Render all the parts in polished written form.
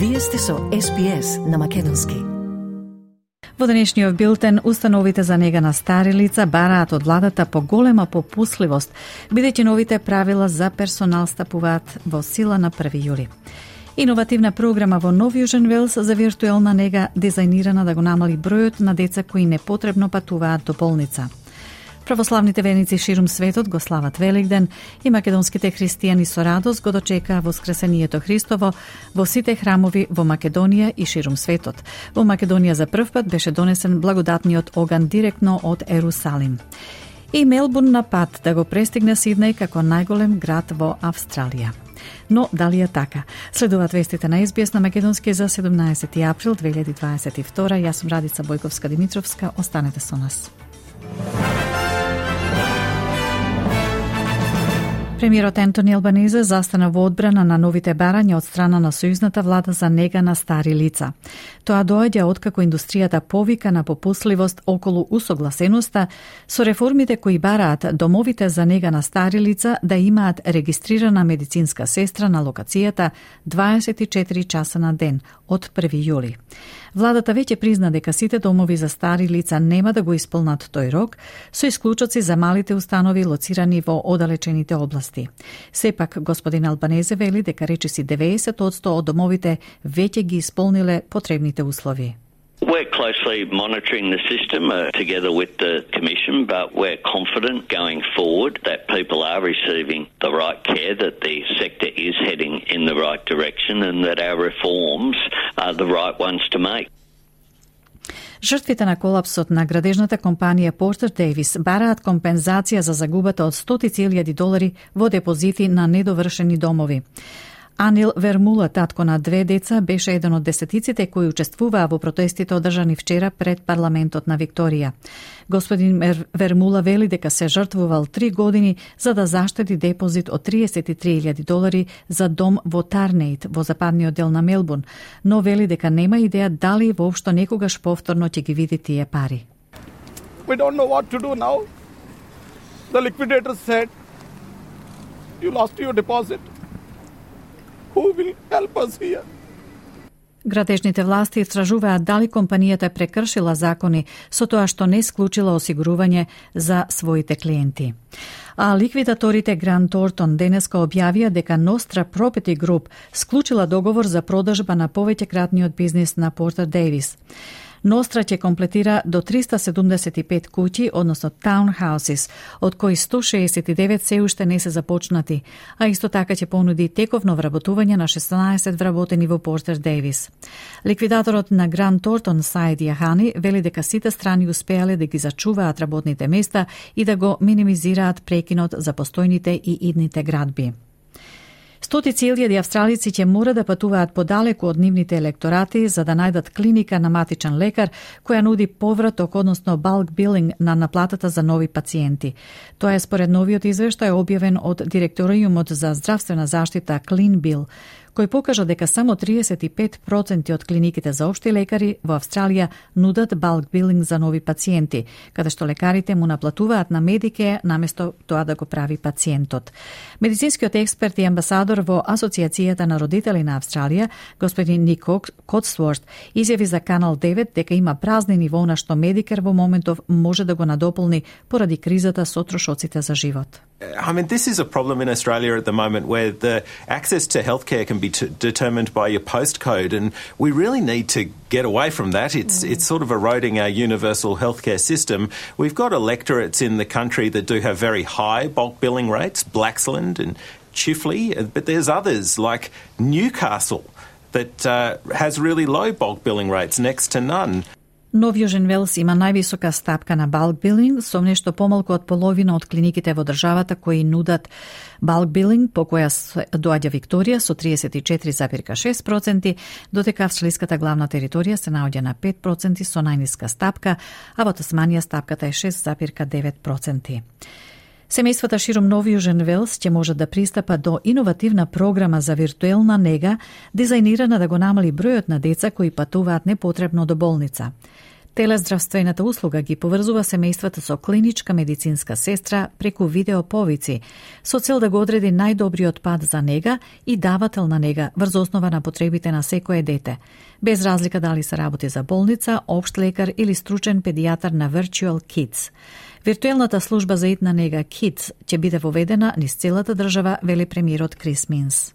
Вие сте со SPS на македонски. Во денешниот билтен, установите за нега на стари лица бараат од владата поголема попусливост, бидејќи новите правила за персонал стапуваат во сила на 1 јули. Иновативна програма во Нов Јужен Велс за виртуелна нега дизајнирана да го намали бројот на деца кои непотребно патуваат до болница. Православните верници ширум светот го слават Великден и македонските христијани со радост го дочекаа Воскресението Христово во сите храмови во Македонија и ширум светот. Во Македонија за прв пат беше донесен благодатниот оган директно од Ерусалим. И Мелбурн на пат да го престигне Сиднеј како најголем град во Австралија. Но дали е така? Следуваат вестите на SBS на македонски за 17 април 2022. Јас сум Радица Бојковска-Димитровска. Останете со нас. Премиерот Ентони Албанезе застана во одбрана на новите барања од страна на сојузната влада за нега на стари лица. Тоа доаѓа откако индустријата повика на попусливост околу усогласеноста со реформите кои бараат домовите за нега на стари лица да имаат регистрирана медицинска сестра на локацијата 24 часа на ден од 1 јули. Владата веќе призна дека сите домови за стари лица нема да го исполнат тој рок, со исклучоци за малите установи лоцирани во оддалечените области. Сепак, господин Албанезе вели дека речиси 90% од домовите веќе ги исполниле потребните услови. We're closely monitoring the system together with the Commission, but we're confident going forward that people are receiving the right care, that the sector is heading in the right direction and that our reforms are the right ones to make. Жртвите на колапсот на градежната компанија Портер Дейвис бараат компензација за загубата од $100,000 во депозити на недовршени домови. Анил Вермула, татко на 2 деца, беше еден од десетиците кои учествуваа во протестите одржани вчера пред парламентот на Викторија. Господин Вермула вели дека се жртвувал 3 години за да заштеди депозит од $33,000 за дом во Тарнейт, во западниот дел на Мелбурн, но вели дека нема идеја дали воопшто некогаш повторно ќе ги види тие пари. We don't know what to do now. The liquidator said, you lost your deposit. Who will help us here? Градежните власти истражуваат дали компанијата прекршила закони со тоа што не склучила осигурување за своите клиенти. А ликвидаторите Грант Тортон денеска објавија дека Nostra Property Group склучила договор за продажба на повеќекратниот бизнис на Портер Дейвис. Nostra ќе комплетира до 375 куќи, односно townhouses, од кои 169 се уште не се започнати, а исто така ќе понуди тековно вработување на 16 вработени во Портер Дейвис. Ликвидаторот на Грант Тортон, Саид Јахани, вели дека сите страни успеале да ги зачуваат работните места и да го минимизираат прекинот за постојните и идните градби. Стотици илјади австралици ќе мора да патуваат подалеку од нивните електорати за да најдат клиника на матичен лекар која нуди повраток, односно bulk billing на наплатата за нови пациенти. Тоа е според новиот извештај објавен од Директориумот за здравствена заштита CleanBill, кој покажа дека само 35% од клиниките за општи лекари во Австралија нудат bulk billing за нови пациенти, каде што лекарите му наплатуваат на Медике наместо тоа да го прави пациентот. Медицинскиот експерт и амбасадор во Асоциацијата на родители на Австралија, господин Ник Котсворт, изјави за Канал 9 дека има празнини во она што Медикер во моментов може да го надополни поради кризата со трошоците за живот. I mean, this is a problem in Australia at the moment where the access to healthcare can be determined by your postcode, and we really need to get away from that. It's sort of eroding our universal healthcare system. We've got electorates in the country that do have very high bulk billing rates, Blaxland and Chifley, but there's others like Newcastle that has really low bulk billing rates, next to none. Нов Јужен Велс има највисока стапка на bulk billing, со нешто помалку од половина од клиниките во државата кои нудат bulk billing, по која доаѓа Викторија со 34,6%, додека австралиската главна територија се наоѓа на 5% со најниска стапка, а во Тасманија стапката е 6,9%. Семејствата широм Нов Јужен Велс ќе можат да пристапат до иновативна програма за виртуелна нега, дизајнирана да го намали бројот на деца кои патуваат непотребно до болница. Телездравствената услуга ги поврзува семејствата со клиничка медицинска сестра преку видеоповици, со цел да го одреди најдобриот пат за нега и давател на нега врз основа на потребите на секое дете, без разлика дали се работи за болница, општ лекар или стручен педијатар на Virtual Kids. Виртуелната служба за итна нега Kids ќе биде воведена низ целата држава, вели премиерот Крис Минс.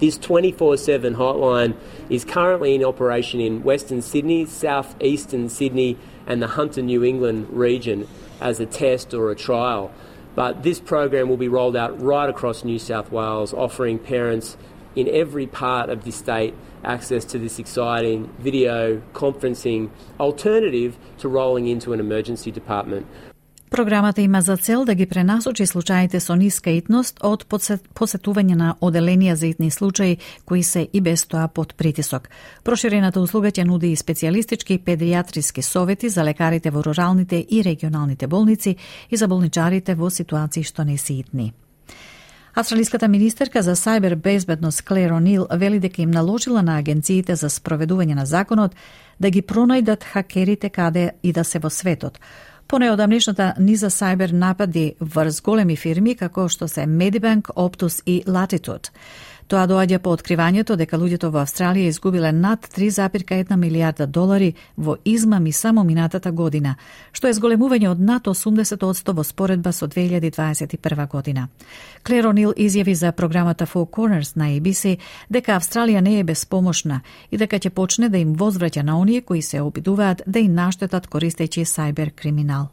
This 24/7 hotline is currently in operation in Western Sydney, southeastern Sydney and the Hunter, New England region as a test or a trial. But this program will be rolled out right across New South Wales, offering parents in every part of the state access to this exciting video conferencing alternative to rolling into an emergency department. Програмата има за цел да ги пренасочи случаите со ниска итност од посетување на оделенија за итни случаи кои се и без тоа под притисок. Проширената услуга ќе нуди и специјалистички и педијатриски совети за лекарите во руралните и регионалните болници и за болничарите во ситуации што не се итни. Австралиската министерка за сајбер безбедност Клер О'Нил вели дека им наложила на агенциите за спроведување на законот да ги пронајдат хакерите каде и да се во светот. По неодамнешната низа сајбер напади врз големи фирми како што се Medibank, Optus и Latitude. Тоа доаѓа по откривањето дека луѓето во Австралија изгубиле над 3,1 милијарда долари во измами само минатата година, што е зголемување од над 80% во споредба со 2021 година. Клер О'Нил изјави за програмата Four Corners на ABC дека Австралија не е безпомошна и дека ќе почне да им возвраќа на оние кои се обидуваат да им наштетат користејќи сајбер криминал.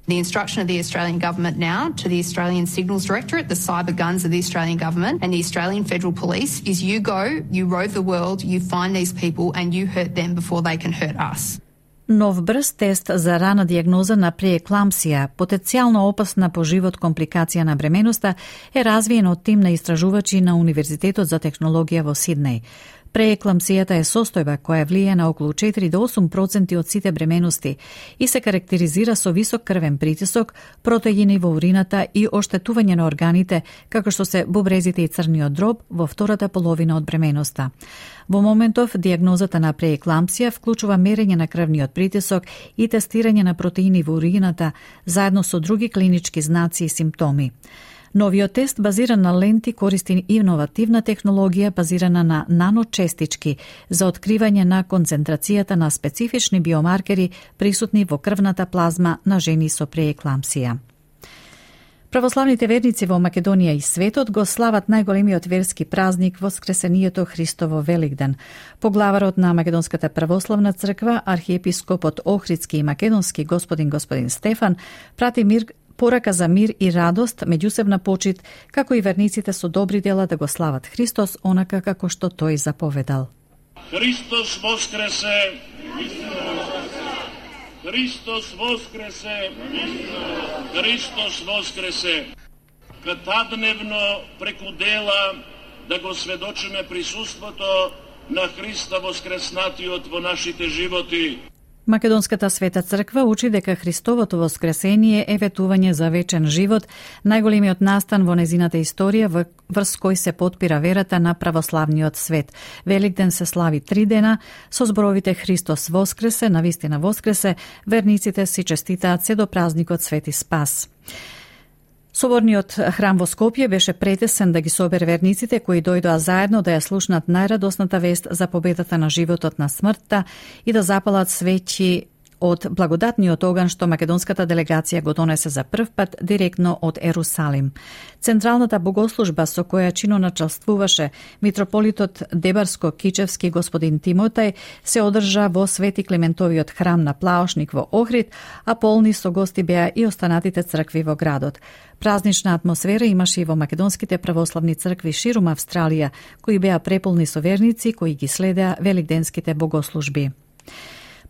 The instruction of the Australian Government now to the Australian Signals Directorate, the cyber guns of the Australian Government and the Australian Federal Police is you go, you rove the world, you find these people and you hurt them before they can hurt us. Нов брз тест за рана диагноза на преекламсија, потенцијално опасна по живот компликација на бременоста, е развиен од тим на истражувачи на Универзитетот за технологија во Сиднеј. Преекламсијата е состојба која влијае на околу 4 до 8% од сите бременности и се карактеризира со висок крвен притисок, протеини во урината и оштетување на органите, како што се бубрезите и црниот дроб во втората половина од бременоста. Во моментов, диагнозата на преекламсија вклучува мерење на крвниот притисок и тестирање на протеини во урината, заедно со други клинички знаци и симптоми. Новиот тест, базиран на ленти, користи иновативна технологија базирана на наночестички за откривање на концентрацијата на специфични биомаркери присутни во крвната плазма на жени со преекламсија. Православните верници во Македонија и светот го слават најголемиот верски празник Воскресението Христово Великден. Поглаварот на Македонската православна црква, архиепископот Охридски и Македонски господин Стефан, прати порака за мир и радост, меѓусебна почит, како и верниците со добри дела да го слават Христос, онака како што тој заповедал. Христос воскресе! Христос воскресе! Христос воскресе! Катадневно преку дела да го сведочиме присуството на Христа воскреснатиот во нашите животи. Македонската света црква учи дека Христовото воскресение е ветување за вечен живот, најголемиот настан во незината историја врз кој се потпира верата на православниот свет. Великден се слави 3 дена, со зборовите Христос воскресе, навистина воскресе, верниците си честитаат се до празникот Свети Спас. Соборниот храм во Скопје беше претесен да ги собере верниците кои дојдоа заедно да ја слушнат најрадосната вест за победата на животот на смртта и да запалат свеќи од благодатниот оган што македонската делегација го донесе за прв пат директно од Ерусалим. Централната богослужба со која чиноначалствуваше митрополитот Дебарско-Кичевски господин Тимотај се одржа во Свети Климентовиот храм на Плаошник во Охрид, а полни со гости беа и останатите цркви во градот. Празнична атмосфера имаше и во македонските православни цркви ширум Австралија, кои беа преполни со верници кои ги следеа великденските богослужби.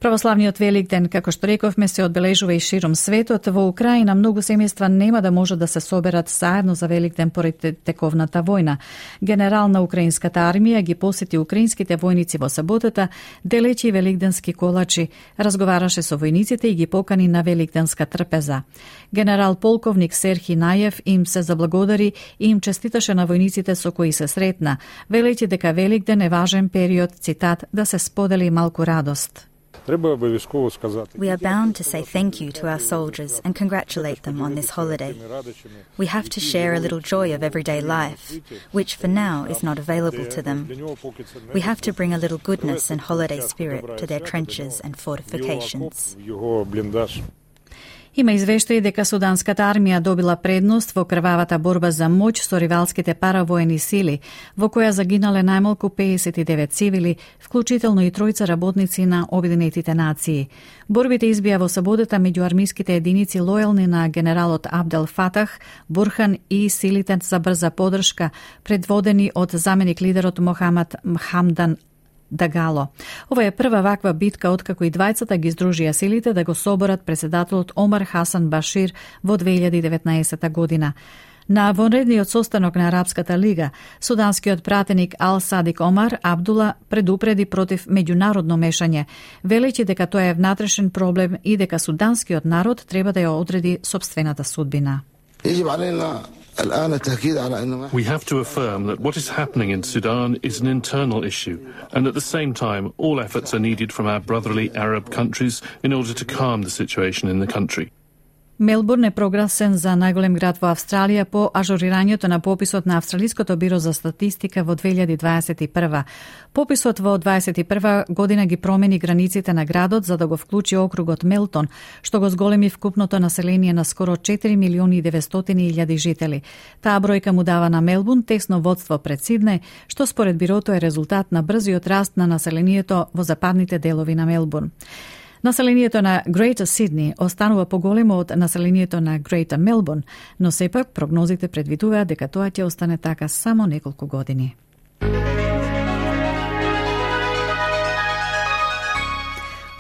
Православниот Великден, како што рековме, се одбележува и широм светот. Во Украина многу семејства нема да може да се соберат заедно за Великден поради тековната војна. Генерал на украинската армија ги посети украинските војници во саботата, делечи великденски колачи, разговараше со војниците и ги покани на великденска трпеза. Генерал полковник Серхи Најев им се заблагодари и им честиташе на војниците со кои се сретна, велејќи дека Великден е важен период, цитат, да се сподели малку радост. We are bound to say thank you to our soldiers and congratulate them on this holiday. We have to share a little joy of everyday life, which for now is not available to them. We have to bring a little goodness and holiday spirit to their trenches and fortifications. Има извештаи дека суданската армија добила предност во крвавата борба за моќ со ривалските паравоени сили, во која загинале најмалку 59 цивили, вклучително и тројца работници на Обединетите нации. Борбите избија во саботата меѓу армиските единици лојални на генералот Абдел Фатах, Бурхан и силите за брза подршка, предводени од заменик лидерот Мохамед Хамдан Дагало. Ова е прва ваква битка откако и двајцата ги издружија силите да го соборат председателот Омар Хасан Башир во 2019 година. На вонредниот состанок на Арапската лига, суданскиот пратеник Ал Садик Омар Абдула предупреди против меѓународно мешање, велејќи дека тоа е внатрешен проблем и дека суданскиот народ треба да ја одреди сопствената судбина. We have to affirm that what is happening in Sudan is an internal issue, and at the same time, all efforts are needed from our brotherly Arab countries in order to calm the situation in the country. Мелбурн е прогласен за најголем град во Австралија по ажурирањето на пописот на Австралиското биро за статистика во 2021. Пописот во 2021 година ги промени границите на градот за да го вклучи округот Мелтон, што го зголеми вкупното население на скоро 4.900.000 жители. Таа бројка му дава на Мелбурн тесно водство пред Сиднеј, што според бирото е резултат на брзиот раст на населението во западните делови на Мелбурн. Населението на Greater Sydney останува поголемо од населението на Greater Melbourne, но сепак прогнозите предвидуваат дека тоа ќе остане така само неколку години.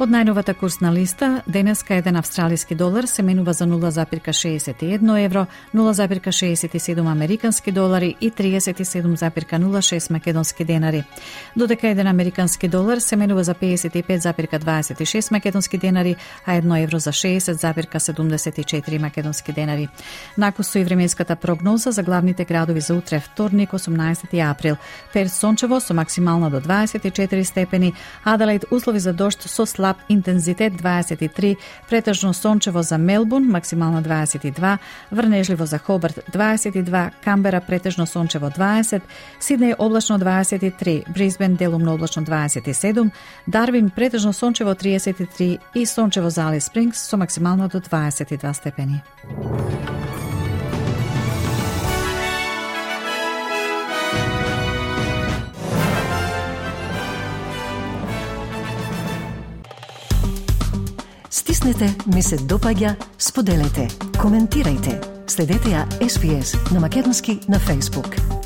Од најновата курсна листа, денеска еден австралиски долар се менува за 0,61 евро, 0,67 американски долари и 37,06 македонски денари. Додека еден американски долар се менува за 55,26 македонски денари, а 1 евро за 60,74 македонски денари. Накусо и временската прогноза за главните градови за утре, вторник, 18 април. Перт сончево со максимална до 24 степени, Аделаид услови за дожд со слаб интензитет 23, претежно сончево за Мелбурн, максимална 22, врнежливо за Хобарт 22, Камбера претежно сончево 20, Сиднеј облачно 23, Брисбен делумно облачно 27, Дарвин претежно сончево 33 и сончево за Алис Спрингс со максимално до 22 степени. Стиснете, ми се допаѓа, споделете, коментирајте. Следете ја SPS на Македонски на Facebook.